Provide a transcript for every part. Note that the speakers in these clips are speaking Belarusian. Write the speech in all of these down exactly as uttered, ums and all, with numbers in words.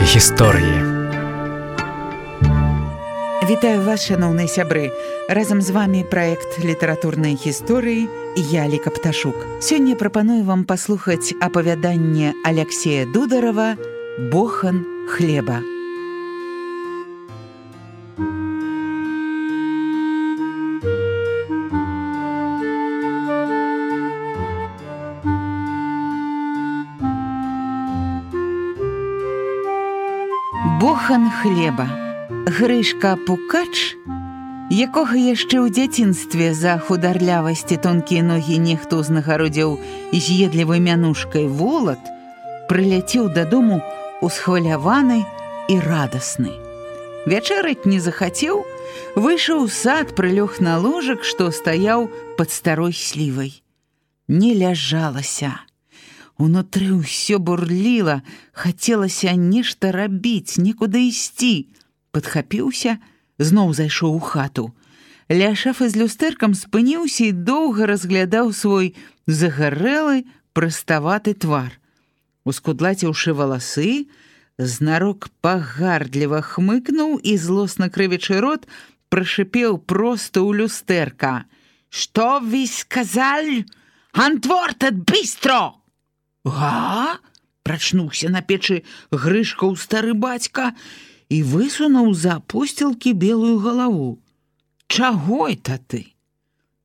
гісторыі. Вітаю вас, шановныя сябры. Разам з вами праект літаратурнай гісторыі і я, Ліка Пташук. Сёння прапаную вам паслухаць апавяданне Аляксея Дударова «Бохан хлеба». Бохан хлеба. Грышка Пукач, якога яшчэ ў дзяцінстве за хударлявасці тонкія ногі нехто узнагародзіў з'едлівай мянушкай волат, прыляцеў дадому усхваляваны і радасны. Вячэраць не захацеў, выйшаў у сад, прылёг на ложак, што стаяў пад старой слівай. Не ляжалася. Унутры ўсё бурліла, хацелася нешта рабіць, некуды ісці. Падхапіўся, зноў зайшоў у хату. Ля шафы з люстэркам спыніўся і доўга разглядаў свой загарэлы, праставаты твар. Ускудлаціўшы валасы, знарок пагардліва хмыкнуў і, злосна крывячы рот, прашыпеў проста ў люстэрка. «Што вы сказалі? Антвортат быстро!» «Га?» – прачнуўся на печы Грышка ў стары бацька і высунуў за апосцілкі белую галаву. «Чаго это ты?»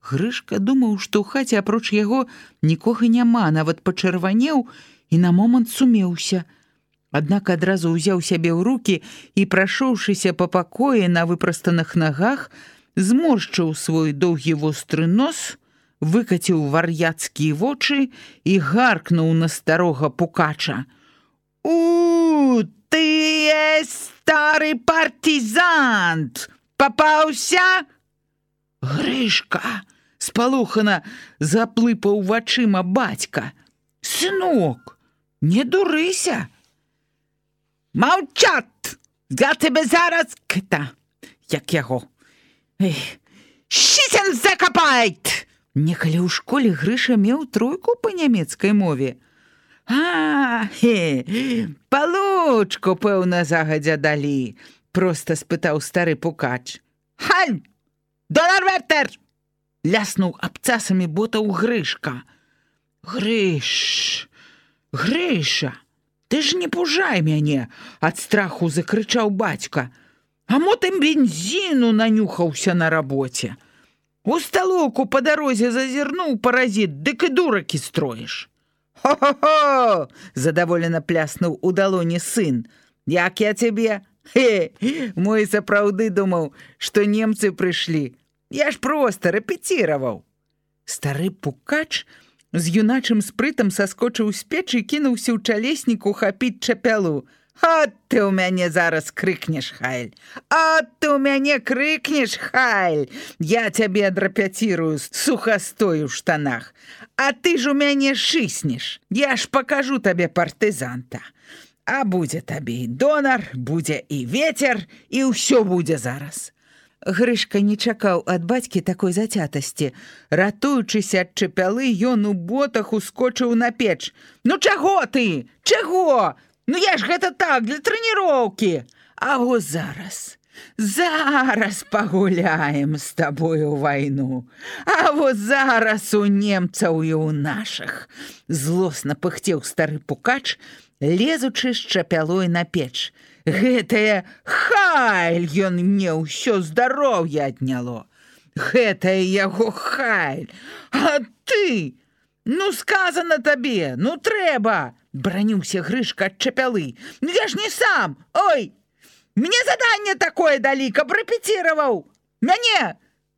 Грышка думаў, што ў хаце апроч яго нікога няма, нават пачырванеў і на момант сумеўся. Аднак адразу ўзяў сябе ў рукі і, прашоўшыся па пакоі на выпрастаных нагах, зморшчыў свой доўгі востры нос, выкаціў вар'яцкія вочы і гаркнуў на старога Пукача. «У, ты стары партизант! Папаўся?» Грышка спалохана заплыпаў вачыма бацька. «Сынок, не дурыся!» «Маўчат! Я тебе зараз кта, як яго! Шісен закапайт!» Некалі ў школе Грыша меў тройку па нямецкай мове. «А, хе, палучку, пэўна, загадзя далі», – проста спытаў стары Пукач. «Халь! Донарвертер!» – ляснуў абцасамі ботаў Грышка. «Грыш, Грыша, ты ж не пужай мяне!» – ад страху закрычаў бацька. «А мо ты бензіну нанюхаўся на рабоце? У сталоўку па дарозе зазірнуў паразіт, дык і дуракі строіш!» «Хо-хо-хо!» – задаволена пляснуў у далоні сын. «Як я цябе? Хе, мой сапраўды думаў, што немцы прыйшлі. Я ж проста рэпеціраваў!» Стары Пукач з юначым спрытам саскочыў з печы і кінуўся ў чалесніку хапіць чапялу. «От ты ў мяне зараз крыкнеш, Хайль! От ты ў мяне крыкнеш, Хайль! Я цябе адрапяцірую сухастой у штанах, а ты ж у мяне шыснеш! Я ж пакажу табе партызанта! А будзе табе і донар, будзе і вецер, і ўсё будзе зараз!» Грышка не чакаў ад бацькі такой зацятасці. Ратуючыся ад чапялы, ён у ботах ускочыў на печ. «Ну чаго ты? Чаго? Ну я ж гэта так, для трэніроўкі! А во зараз, зараз пагуляем з табою вайну! А во зараз у немцаў і ў нашых!» Злосна пыхцеў стары Пукач, лезучы з чапялой на печ. «Гэтае Хайль, ён мне ўсё здароўе адняло! Гэтае яго Хайль! А ты? Ну сказана табе, ну трэба!» Браніўся Грышка ад чапялы. «Ну я ж не сам! Ой! Мне заданне такое далі, каб рэпеціраваў! Мяне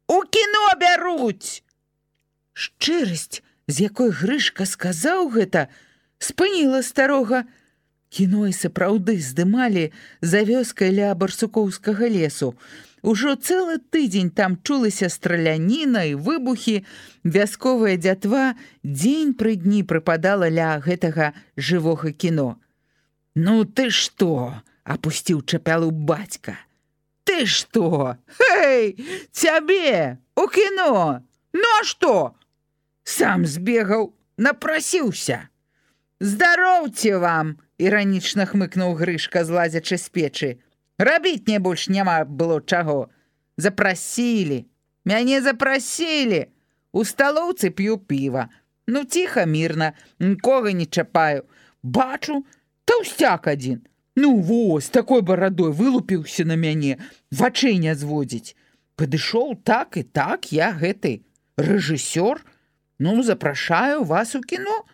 у кіно бяруць!» Шчырасць, з якой Грышка сказаў гэта, спыніла старога. Кіно і сапраўды здымалі за вёскай ля барсукоўскага лесу. Ужо цэлы тыдзень там чулася страляніна і выбухі, вясковая дзятва дзень пры дні прыпадала ля гэтага жывога кіно. «Ну ты што?» – апусціў чапялу бацька. «Ты што? Хей, цябе у кіно! Ну а што? Сам збегаў, напрасіўся. Здароўце вам іранічна хмыкнуў Грышка, злазячы з печы. Рабіць мне больш няма было чаго. Запрасілі. Мяне запрасілі. У сталоўцы п'ю піва. Ну, ціха, мірна, нікога не чапаю. Бачу, таўсцяк адзін. Ну, вось, такой барадой вылупіўся на мяне, вачэй не зводзіць. Падышоў так і так, я гэты рэжысёр. Ну, запрашаю вас у кіно.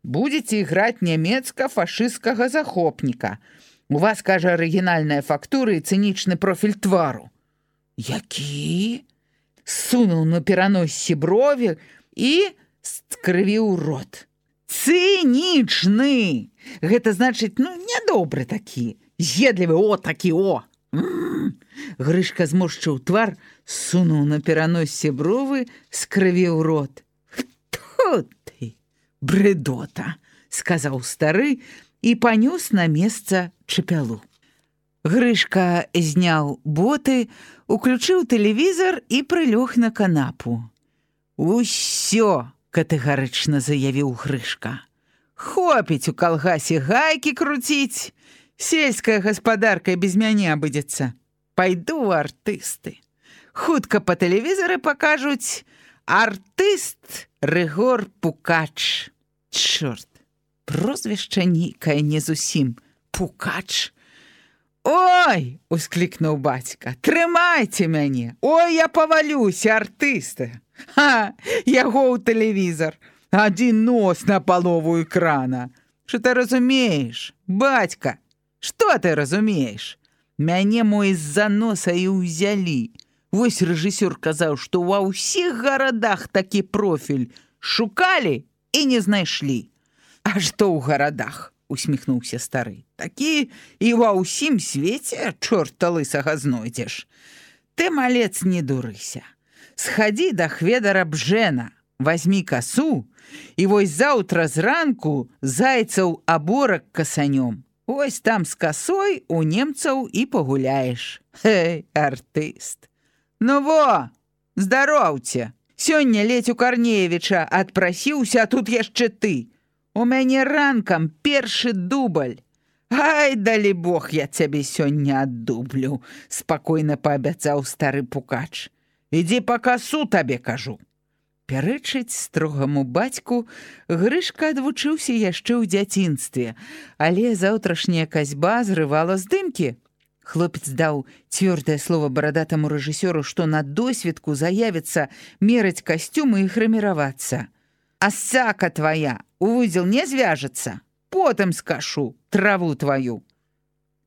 Будзеце іграць нямецка-фашысцкага захопніка. У вас, кажа, арыгінальная фактура і цынічны профіль твару. Які? Сунуў на пераноссе брові і скрывіў рот. Цынічны! Гэта значыць, ну, нядобры такі. З'едлівы, о, такі, о! М-м-м. Грышка зморшчыў твар, сунуў на пераноссе бровы, скрывіў рот. Хто ты? Брэдота, сказаў стары і панёс на месца чапялу. Грышка зняў боты, уключыў тэлевізар і прылёг на канапу. Усё! Катэгарычна заявіў Грышка. Хопіць у калгасе гайкі круціць. Сельская гаспадарка без мяне абыдзецца. Пайду ў артысты. Хутка па тэлевізары пакажуць артыст Рыгор Пукач. Чорт, прозвішча нейкае не зусім. Пукач. Ой, усклікнуў бацька, трымайце мяне. Ой, я павалюся, артысты. Ха, яго ў тэлевізар. Адзін нос на палову экрана. Што ты разумееш, бацька? Што ты разумееш? Мяне мой з-за носа і ўзялі. Вось рэжысёр казаў, што ва ўсіх гарадах такі профіль шукалі і не знайшлі. А што ў гарадах? Усміхнуўся стары. Такі і ва ўсім свеце чорта лысага знойдзеш. Ты, малец, не дурыся. Схадзі да Хведара Бжэна, вазьмі касу, і вось заўтра зранку зайцаў аборак касанём. Вось там з касой у немцаў і пагуляеш. Хэй, артыст. Ну во, здароўце. Сёння ледзь у Карнеевіча адпрасіўся, а тут яшчэ ты. У мяне ранкам першы дубль. Ай, далі Бог, я цябе сёння аддублю, спакойна паабяцаў стары Пукач. Ідзі па касу, табе кажу. Пярэчыць строгаму бацьку Грышка адвучыўся яшчэ ў дзяцінстве, але заўтрашняя касьба зрывала здымкі. Хлопец даў цвёрдае слова барадатаму рэжысёру, што на досведку заявіцца мераць касцюмы і грыміравацца. А сака твая у вузел не звяжацца, потым скашу траву тваю.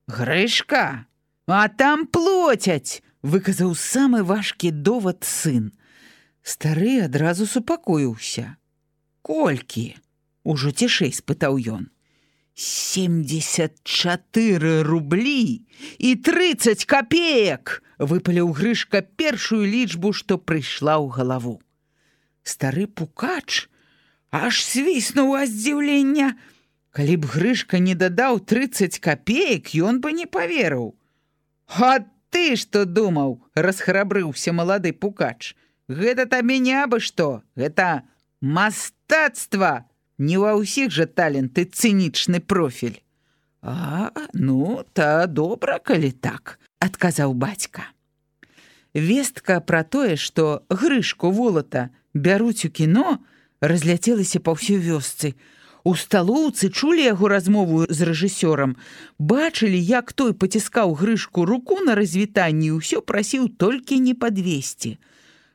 Грышка, а там плоцяць, выказаў самы важкі довад сын. Стары адразу супакоіўся. Колькі? Ужо цішэй спытаў ён. семьдесят чатыры рублі і трыццаць капеек, выпаліў Грышка першую лічбу, што прыйшла ў галаву. Стары Пукач аж свіснуў ад здзіўлення. Калі б Грышка не дадаў трыццаць капеек, ён бы не паверыў. А ты што думаў, расхрабрыўся малады Пукач. Гэта табе не абы што, гэта мастацтва. Не ва ўсіх жа таленты цынічны профіль. А, ну, та добра, калі так, адказаў бацька. Вестка пра тое, што Грышку Волата бяруць у кіно, разляцелася па ўсёй вёсцы. У сталоўцы чулі яго размову з рэжысёрам, бачылі, як той паціскаў Грышку руку на развітанні і ўсё прасіў толькі не падвесці.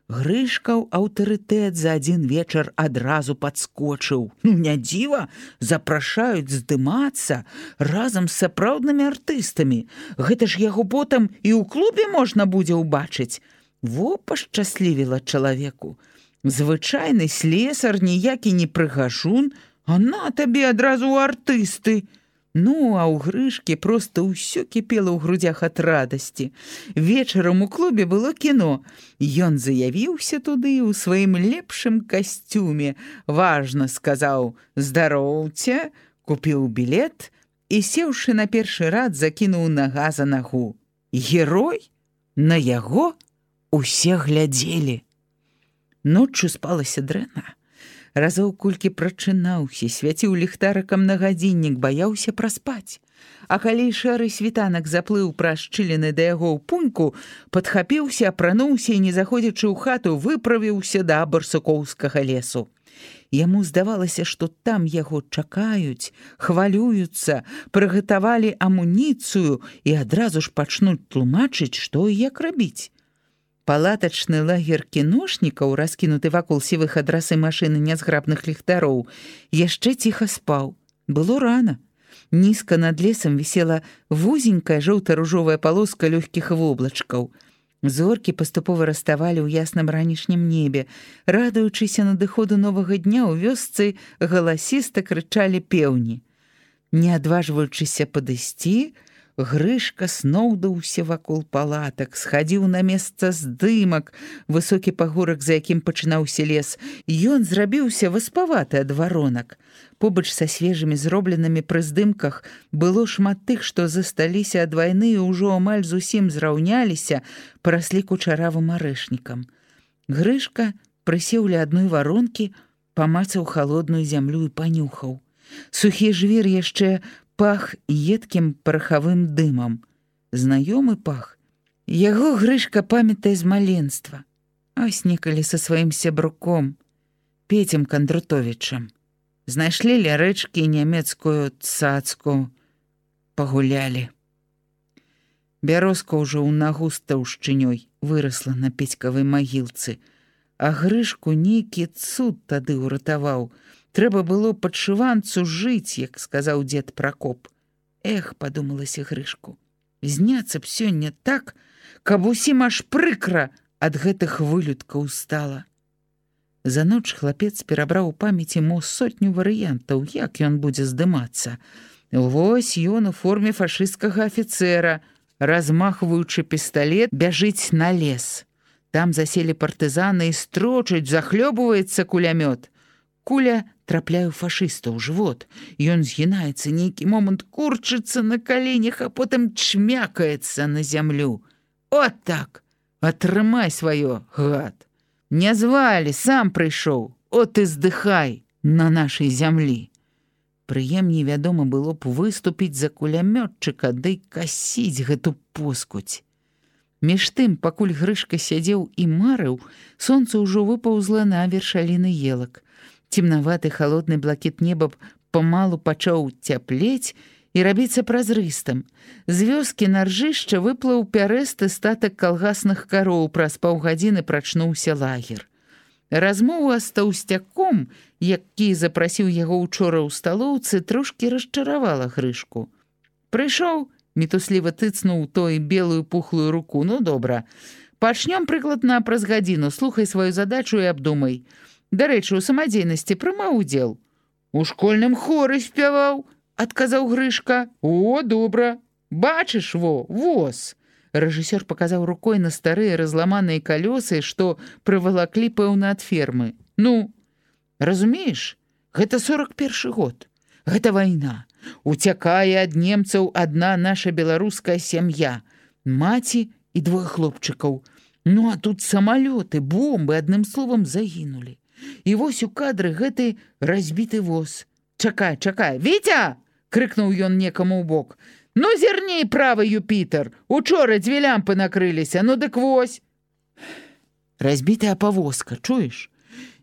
Грышкаў аўтарытэт за адзін вечар адразу падскочыў. Ну, не дзіва, запрашаюць здымацца разам з сапраўднымі артыстамі. Гэта ж яго потым і ў клубе можна будзе ўбачыць. Во пашчаслівіла чалавеку. Звычайны слесар, ніякі не прыгажун, а на табе адразу ў артысты. Ну, а ў Грышкі проста ўсё кіпела ў грудзях ад радасці. Вечарам у клубе было кіно. Ён заявіўся туды ў сваім лепшым касцюме. Важна сказаў «Здароўце», купіў білет і, сеўшы на першы рад, закінуў нага за нагу. Герой? На яго усе глядзелі. Ноччу спалася дрэнна. Разоў колькі прачынаўся, свяціў ліхтарыкам на гадзіннік, баяўся праспаць. А калі шэры світанак заплыў праз шчыліны да яго ў пуньку, падхапіўся, апрануўся і, не заходзячы ў хату, выправіўся да барсукоўскага лесу. Яму здавалася, што там яго чакаюць, хвалююцца, прыгатавалі амуніцыю і адразу ж пачнуць тлумачыць, што і як рабіць. Палатачны лагер кіношнікаў, раскінуты вакол сівых адрасы машыны нязграбных ліхтароў, яшчэ ціха спаў. Было рана. Нізка над лесам вісела вузенькая жоўта-ружовая палоска лёгкіх воблачкаў. Зоркі паступова раставалі ў ясным ранішнім небе. Радуючыся надыходу новага дня, у вёсцы галасіста крычалі пеўні. Не адважваючыся падысці, Грышка сноўдаўся вакол палатак, схадзіў на месца здымак, высокі пагорак, за якім пачынаўся лес. Ён зрабіўся васпаваты ад варонак. Побач са свежымі зробленымі пры здымках было шмат тых, што засталіся ад вайны і ўжо амаль зусім зраўняліся, параслі кучаравым арэшнікам. Грышка прысеў ля адной варонкі, памацаў халодную зямлю і панюхаў. Сухі жвір яшчэ пах едкім парахавым дымам. Знаёмы пах. Яго Грышка памятае з маленства. Ось некалі са сваім сябруком, Пецем Кандрутовічам. Знайшлі ля рэчкі нямецкую цацку, пагулялі. Бярозка ўжо ў нагу з таўшчынёй вырасла на Пецькавай магілцы, а Грышку нейкі цуд тады ўратаваў. Трэба было падшыванцу жыць, як сказаў дзед Пракоп. Эх, падумалася Грышку, зняцца б сёння так, каб усім аж прыкра ад гэтых вылюдкаў стала. За ноч хлапец перабраў у памяці мо сотню варыянтаў, як ён будзе здымацца. Вось ён у форме фашысцкага афіцэра, размахваючы пісталет, бяжыць на лес. Там заселі партызаны і строчаць, захлёбваецца кулямёт. Куля трапляе ў фашыста ў жывот. Ён згінаецца, нейкі момант курчыцца на каленях, а потым чмякаецца на зямлю. От так! Атрымай сваё, гад! Не звалі, сам прыйшоў. От і здыхай на нашай зямлі. Прыемней, вядома, было б выступіць за кулямётчыка, ды касіць гэту поскудзь. Між тым, пакуль Грышка сядзеў і марыў, сонца ўжо выпаўзла на вершаліны елак. Цемнаваты халодны блакіт неба памалу пачаў цяплець і рабіцца празрыстым. З вёскі на ржышча выплыў пярэсты статак калгасных кароў, праз паўгадзіны прачнуўся лагер. Размова з таўсцяком, які запрасіў яго учора ў сталоўцы, трошкі расчаравала Грышку. Прыйшоў, мітусліва тыцнуў той белую пухлую руку. Ну, добра, пачнём прыкладна праз гадзіну, слухай сваю задачу і абдумай. Дарэчы, у самадзейнасці прымаў удзел. У школьным хоры спяваў, адказаў Грышка. О, добра. Бачыш, во, воз. Рэжысёр паказаў рукой на старыя разламаныя калёсы, што прывалаклі, пэўна, ад фермы. Ну, разумееш, гэта сорак першы год. Гэта вайна. Уцякае ад немцаў адна наша беларуская сям'я. Маці і двое хлопчыкаў. Ну, а тут самалёты, бомбы, адным словам, загінулі. І вось у кадры гэты разбіты воз. Чакай, чакай. Вітя! Крыкнуў ён некаму ў бок. Ну, зірней, правы, Юпітер. Учора дзве лямпы накрыліся. Ну, дык вось. Разбітая павозка, чуеш?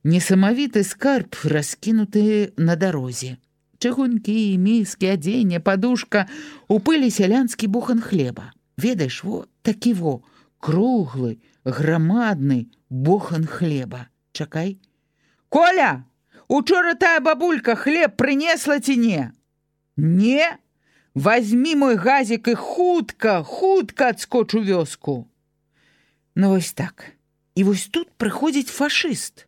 Несамавіты скарб, раскінуты на дарозе. Чыгункі, міскі, адзенне, падушка. У пылі сялянскі бухан хлеба. Ведаеш, во, такі во, круглы, грамадны бохан хлеба. Чакай. Коля, учора тая бабулька хлеб прынесла ці не? Не? Вазьмі мой газік і хутка, хутка адскоч у вёску. Ну вось так. І вось тут прыходзіць фашыст.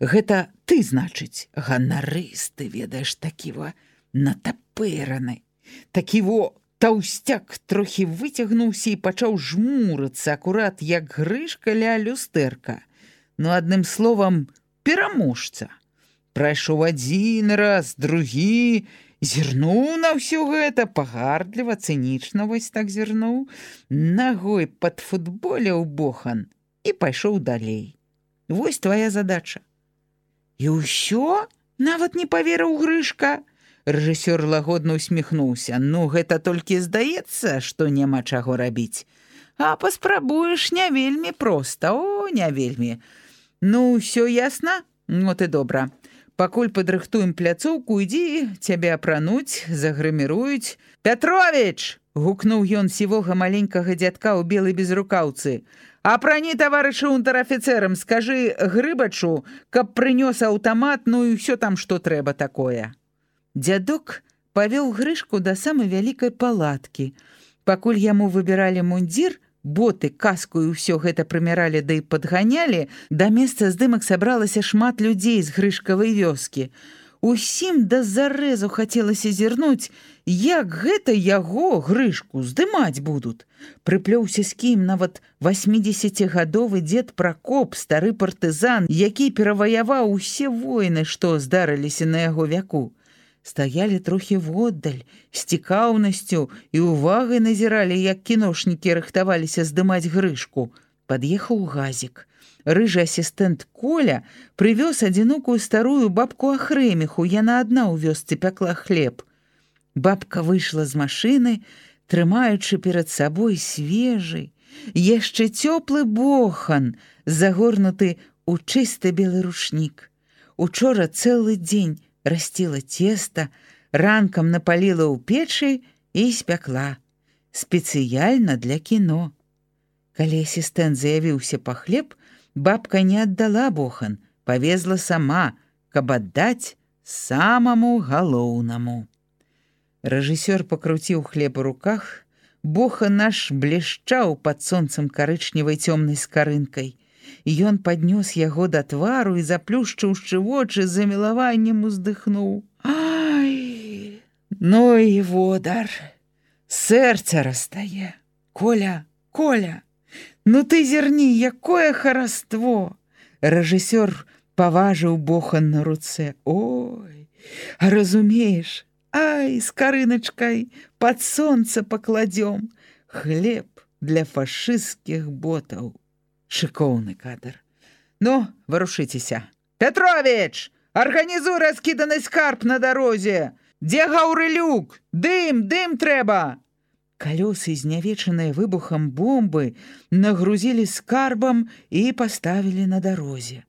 Гэта ты, значыць, ганарысты, ведаеш, такі во натапыраны. Такі во таўсцяк трохі выцягнуўся і пачаў жмурыцца, акурат як Грышка ля люстэрка. Ну, адным словам, пераможца. Прайшоў адзін раз, другі, зірнуў на ўсё гэта, пагардліва, цынічна вось так зірнуў, нагой падфутболяў бохан і пайшоў далей. Вось твая задача. І ўсё? Нават не паверыў Грышка. Рэжысёр лагодна усміхнуўся. Ну, гэта толькі здаецца, што няма чаго рабіць. А паспрабуеш, не вельмі проста, о, не вельмі. Ну, ўсё ясна? Ну, ты добра. Пакуль падрыхтуем пляцоўку, ідзі, цябе апрануць, загрыміруюць. Пятровіч! Гукнуў ён сівога маленькага дзядка ў белай безрукаўцы. Апрані таварыша унтэр-афіцэрам, скажы Грыбачу, каб прынёс аўтамат, ну і ўсё там, што трэба такое. Дзядок павёў Грышку да самай вялікай палаткі. Пакуль яму выбіралі мундзір, боты, каску і ўсё гэта прымяралі да і падганялі, да месца здымак сабралася шмат людзей з Грышкавай вёскі. Усім да зарэзу хацелася зірнуць, як гэта яго, Грышку, здымаць будуць. Прыплёўся з кім нават васьмідзесяцігадовы дзед Пракоп, стары партызан, які пераваяваў усе войны, што здарыліся на яго вяку. Стаялі трохі воддаль, з цікаўнасцю і увагай назіралі, як кіношнікі рыхтаваліся здымаць Грышку. Пад'ехаў газік. Рыжы асістэнт Коля прывёз адзінокую старую бабку Ахрэміху, яна адна ў вёсцы пякла хлеб. Бабка выйшла з машыны, трымаючы перад сабой свежы, яшчэ цёплы бохан, загорнуты ў чысты белы рушнік. Учора цэлы дзень расціла цеста, ранкам напаліла ў печы і спякла. Спецыяльна для кіно. Калі асістэнт заявіўся па хлеб, бабка не аддала бохан, павезла сама, каб аддаць самаму галоўнаму. Рэжысёр пакруціў хлеб у руках, бохан наш блішчаў пад сонцам карычневай цёмнай скарынкай. Ён паднёс яго да твару і, заплюшчыўшы вочы, з замілаваннем уздыхнуў. Ай, ну і водар, сэрца растае. Коля, Коля, ну ты зірні, якое хараство! Рэжысёр паважыў бохан на руцэ. Ой, а разумееш, ай, з карыначкай пад сонца пакладзём. Хлеб для фашысцкіх ботаў. Шыкоўны кадр. Ну, варушыцеся. Пятровіч, арганізуй раскіданы скарб на дарозе. Дзе Гаўрылюк? Дым, дым трэба! Калёсы, знявечаныя выбухам бомбы, нагрузілі скарбам і паставілі на дарозе.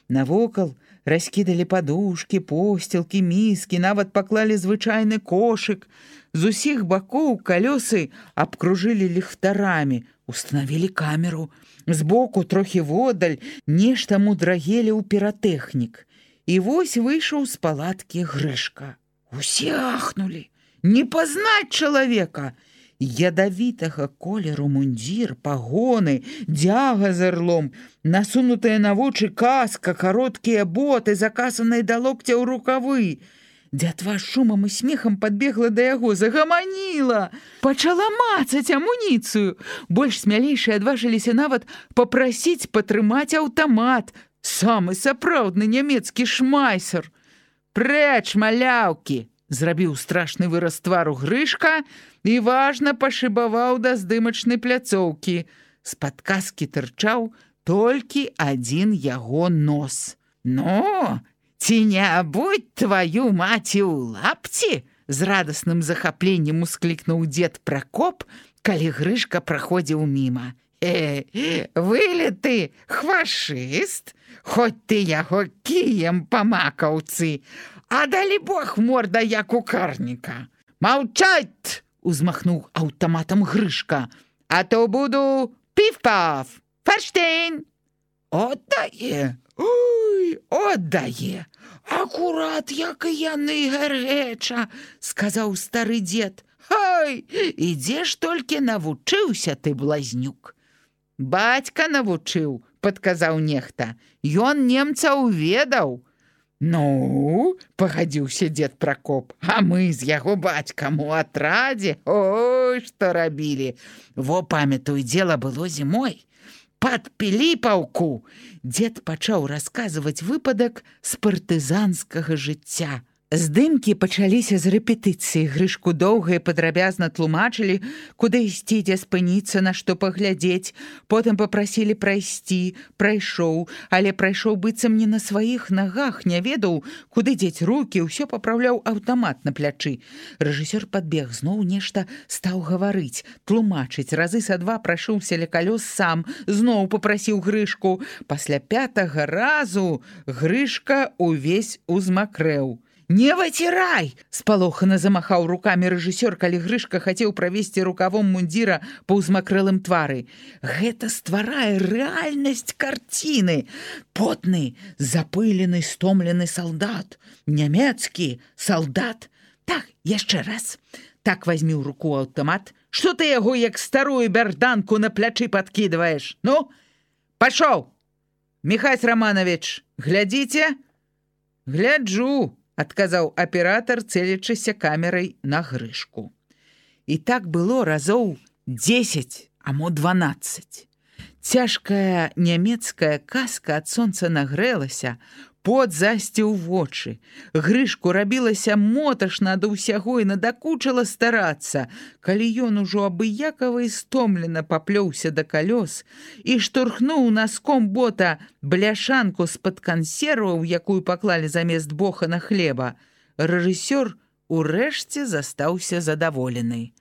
Навокал раскідалі падушкі, посцілкі, міскі, нават паклалі звычайны кошык. З усіх бакоў калёсы абкружылі ліхтарамі, устанавілі камеру. Збоку, трохі воддаль, нешта мудрагелі ў піратэхнік. І вось выйшаў з палаткі Грышка. Усе ахнулі. Не пазнаць чалавека! Ядавітага колеру мундзір, пагоны, дзяга з арлом, насунутыя на вочы каска, кароткія боты, закасаныя да локця ў рукавы. Дзятва шумам і смехам падбегла да яго, загаманіла, пачала мацаць амуніцыю. Больш смялейшыя адважыліся нават папрасіць патрымаць аўтамат. Самы сапраўдны нямецкі шмайсер. Прэч, маляўкі! Зрабіў страшны выраз твару Грышка і важна пашыбаваў да здымачнай пляцоўкі. З-пад каскі тырчаў толькі адзін яго нос. Ну, ці не будь тваю маці ў лапці? З радасным захапленнем усклікнуў дзед Пракоп, калі Грышка праходзіў міма. Э, вылеты хвашыст, хоць ты яго кіем па макаўцы, а далі бог морда, як у карніка. Маўчаць! Узмахнуў аўтаматам Грышка. А то буду піф-паф, фарштейн. Отдае, ой, отдае. Акурат, як і яны гарэча, сказаў стары дзед. Ой, і дзе ж толькі навучыўся ты, блазнюк? Бацька навучыў, падказаў нехта. Ён немцаў ведаў. Ну, пагадзіўся дзед Пракоп, а мы з яго бацькам у атрадзе, ой, што рабілі. Во, памятаю, дзела было зімой. Пад Піліпаўку дзед пачаў расказваць выпадак з партызанскага жыцця. Здымкі пачаліся з рэпетыцыі. Грышку доўга і падрабязна тлумачылі, куды ісці, дзе спыніцца, на што паглядзець. Потым папрасілі прайсці. Прайшоў, але прайшоў быццам не на сваіх нагах, не ведаў, куды дзець рукі, ўсё папраўляў аўтамат на плячы. Рэжысёр падбег, зноў нешта стаў гаварыць, тлумачыць. Разы са два прайшоўся ля калёс сам, зноў папрасіў Грышку. Пасля пятага разу Грышка увесь узмакрэў. «Не выцірай!» – спалохана замахаў рукамі рэжысёр, калі Грышка хацеў правесці рукавом мундзіра па ўзмакрэлым твары. Гэта стварае рэальнасць карціны. Потны, запылены, стомлены салдат. Нямецкі салдат. Так, яшчэ раз. Так вазьмі ў руку аўтамат. Што ты яго, як старую бярданку, на плячы падкідваеш? Ну, пашоў! Міхась Романович, глядзіце? Гляджу, адказаў аператар, цэлячыся камерай на Грышку. І так было разоў дзесяць, а мо дванаццаць. Цяжкая нямецкая каска ад сонца нагрэлася, пот засціў вочы. Грышку рабілася моташна ад усяго і надакучала старацца, калі ён ужо абыякава і стомлена паплёўся да калёс і штурхнуў наском бота бляшанку з-пад кансерваў, якую паклалі замест бохана хлеба. Рэжысёр урэшце застаўся задаволены.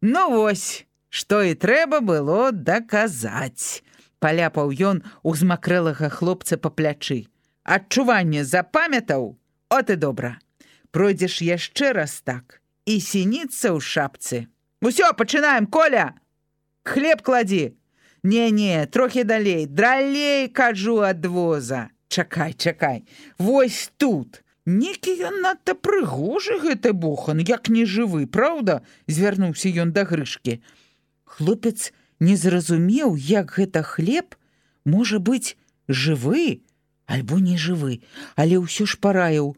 «Ну вось, што і трэба было даказаць», – паляпаў ён узмакрэлага хлопца па плячы. «Адчуванне запамятаў? От і добра. Пройдзеш яшчэ раз так, і сініцца ў шапцы. Усё, пачынаем, Коля! Хлеб кладзі! Не-не, трохі далей, далей, кажу, ад воза. Чакай, чакай, вось тут. Некі ён надта прыгожы, гэты бохан, як нежывы, праўда?» – звярнуўся ён да Грышкі. Хлопец не зразумеў, як гэта хлеб можа быць жывы, альбо не жывы, але ўсё ж параіў.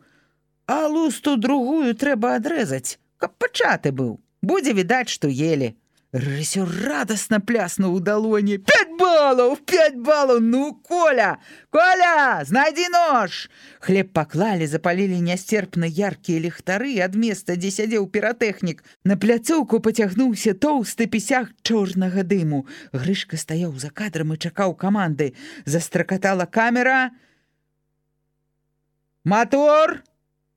«А лусту другую трэба адрэзаць, каб пачаты быў. Будзе відаць, што елі». Рэжысёр радасна пляснуў у далоні. «Пяць балаў! Пяць балаў! Ну, Коля! Коля! Знайдзі нож!» Хлеб паклалі, запалілі нясцерпна яркія ліхтары, ад места, дзе сядзеў піратэхнік. На пляцоўку пацягнуўся тоўсты пісяк чорнага дыму. Грышка стаяў за кадрам і чакаў каманды. Застракатала камера. «Мотор!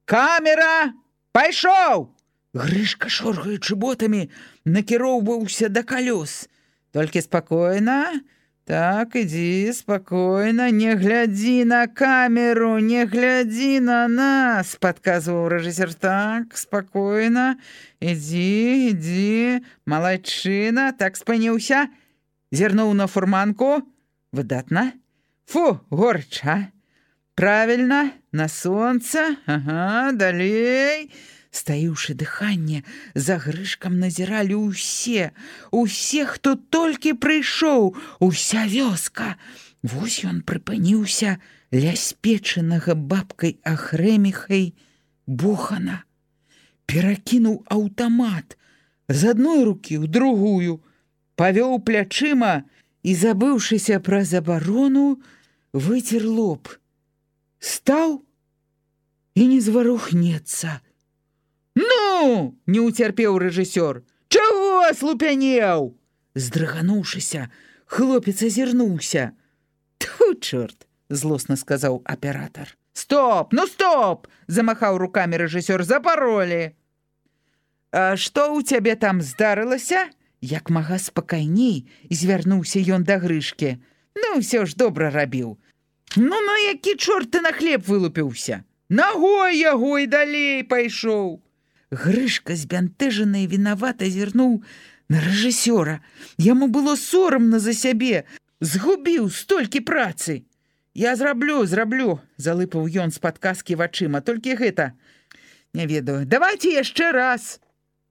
Камера! Пайшоў!» Грышка, шоргаючы ботамі, накіроўваўся да калёс. «Толькі спакойна. Так, ідзі, спакойна. Не глядзі на камеру, не глядзі на нас», – падказваў рэжысёр. «Так, спакойна. Ідзі, ідзі. Малайчына. Так, спыніўся. Зірнуў на фурманку. Выдатна. Фу, горча. Правильно, на сонца. Ага, далей». Стаіўшы дыханне, за Грышкам назіралі ўсе, усе, хто толькі прыйшоў, уся вёска. Вось ён прыпыніўся ля спечанага бабкай Ахрэміхай бохана. Перакінуў аўтамат з адной рукі ў другую, павёў плячыма і, забыўшыся пра забарону, выцер лоб. Стаў і не зварухнецца. «Ну!» – не ўцерпеў рэжысёр. «Чаго слупянеў?» Здрыгануўшыся, хлопец азірнуўся. «Тьфу, чорт!» – злосна сказаў аператар. «Стоп! Ну стоп!» – замахаў рукамі рэжысёр. «Запаролі!» «А што ў цябе там здарылася?» Як мага спакайней звярнуўся ён да Грышкі. «Ну, ўсё ж добра рабіў. Ну, ну, які чорт ты на хлеб вылупіўся? Нагой яго і далей пайшоў!» Грышка збянтэжаны і вінавата зірнуў на рэжысёра. Яму было сорамна за сябе. Згубіў столькі працы. «Я зраблю, зраблю», – залыпаў ён з-пад каскі вачыма. «Толькі гэта, не ведаю. Давайце яшчэ раз».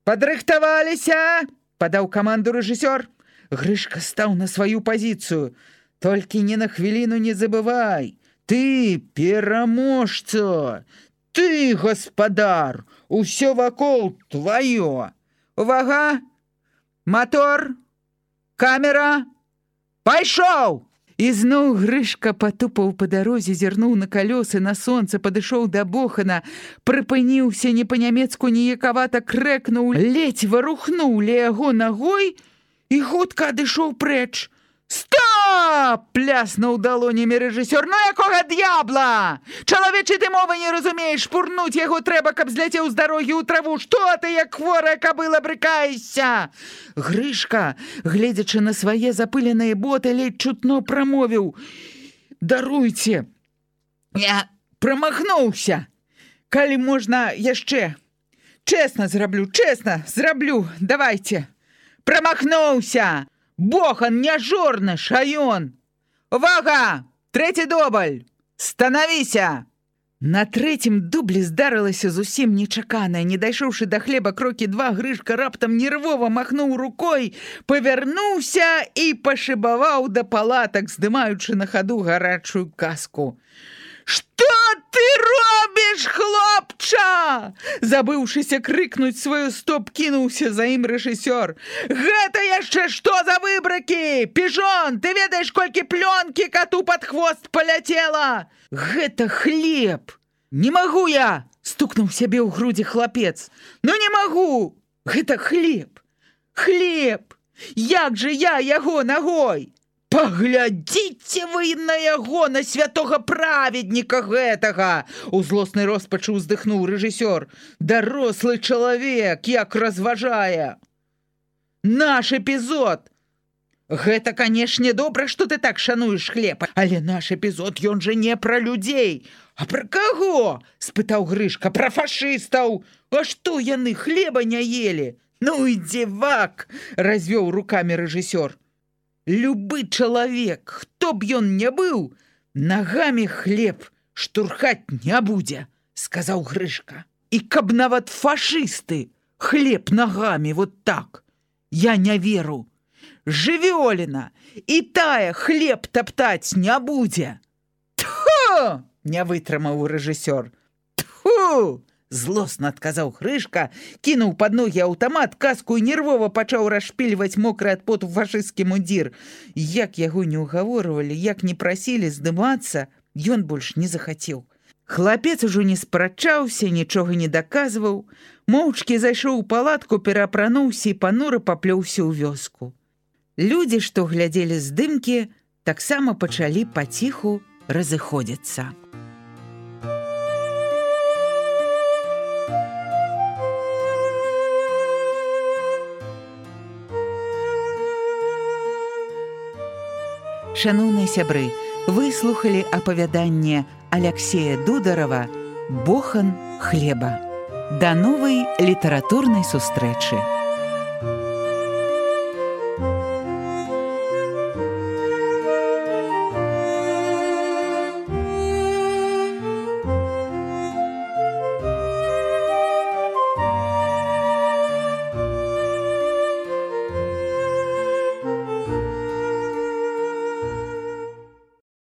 «Падрыхтаваліся!» – падаў каманду рэжысёр. Грышка стаў на сваю пазіцыю. «Толькі не на хвіліну не забывай. Ты пераможца! Ты гаспадар! Усё вакол тваё! Увага! Мотор! Камера! Пайшоў!» І зноў Грышка патупаў па дарозе, зірнуў на калёсы, на сонца, падышоў да бохана, прыпыніўся, не па-нямецку ніякавата крэкнуў, ледзь варухнуў ля яго нагой і хутка адышоў прэч. «Стоп!» – пляснуў далонямі рэжысёр. «Ну якога д'ябла? Чалавечай ты мовы не разумееш, пурнуць яго трэба, каб зляцеў з дарогі ў траву. Што ты, як хворая кабыла, брыкаешся?» Грышка, гледзячы на свае запыленыя боты, ледзь чутно прамовіў: «Даруйце, я прамахнуўся. Калі можна яшчэ. Чэсна зраблю, чэсна зраблю. Давайце». «Прамахнуўся! Бохан, не жорнаш, а ён! Увага! Трэці дубль! Станавіся!» На трэцім дублі здарылася зусім нечаканае. Не дайшоўшы да хлеба крокі два, Грышка раптам нервова махнуў рукой, павярнуўся і пашыбаваў да палатак, здымаючы на хаду гарачую каску. «Што ты робіш, хлопча?» Забыўшыся крыкнуць сваю стоп, кінуўся за ім рэжысёр. «Гэта яшчэ што за выбракі? Піжон, ты ведаеш, колькі плёнкі кату пад хвост паляцела?» «Гэта хлеб!» «Не магу я!» – стукнуў сябе ў грудзі хлапец. «Ну не магу! Гэта хлеб! Хлеб! Як жа я яго нагой?» «Паглядзіце вы на яго, на святога праведніка гэтага!» У злоснай роспачы ўздыхнуў рэжысёр. «Дарослы чалавек, як разважае!» «Наш эпізод!» «Гэта, канешне, добра, што ты так шануеш хлеб, але наш эпізод, ён жа не пра людзей!» «А пра каго?» – спытаў Грышка. «Пра фашыстаў! А што яны хлеба не елі?» «Ну і дзівак!» – развёў рукамі рэжысёр. «Любы чалавек, хто б ён не быў, нагамі хлеб штурхаць не будзе», – сказаў Грышка. «І каб нават фашысты хлеб нагамі вот так, я не веру. Жывёліна і тая хлеб таптаць не будзе». «Тьфу!» – не вытрымаў рэжысёр. «Тьфу!» – злосна адказаў Грышка, кінуў пад ногі аўтамат, каску і нервова пачаў расшпільваць мокры ад поту фашысцкі мундзір. Як яго не ўгаворвалі, як не прасілі здымацца, ён больш не захацеў. Хлапец ужо не спрачаўся, нічога не даказваў, моўчкі зайшоў у палатку, пераапрануўся і панура паплёўся ў вёску. Людзі, што глядзелі здымкі, таксама пачалі паціху разыходзіцца. Шаноўныя сябры, вы слухалі апавяданне Аляксея Дударава «Бохан хлеба». Да новай літаратурнай сустрэчы!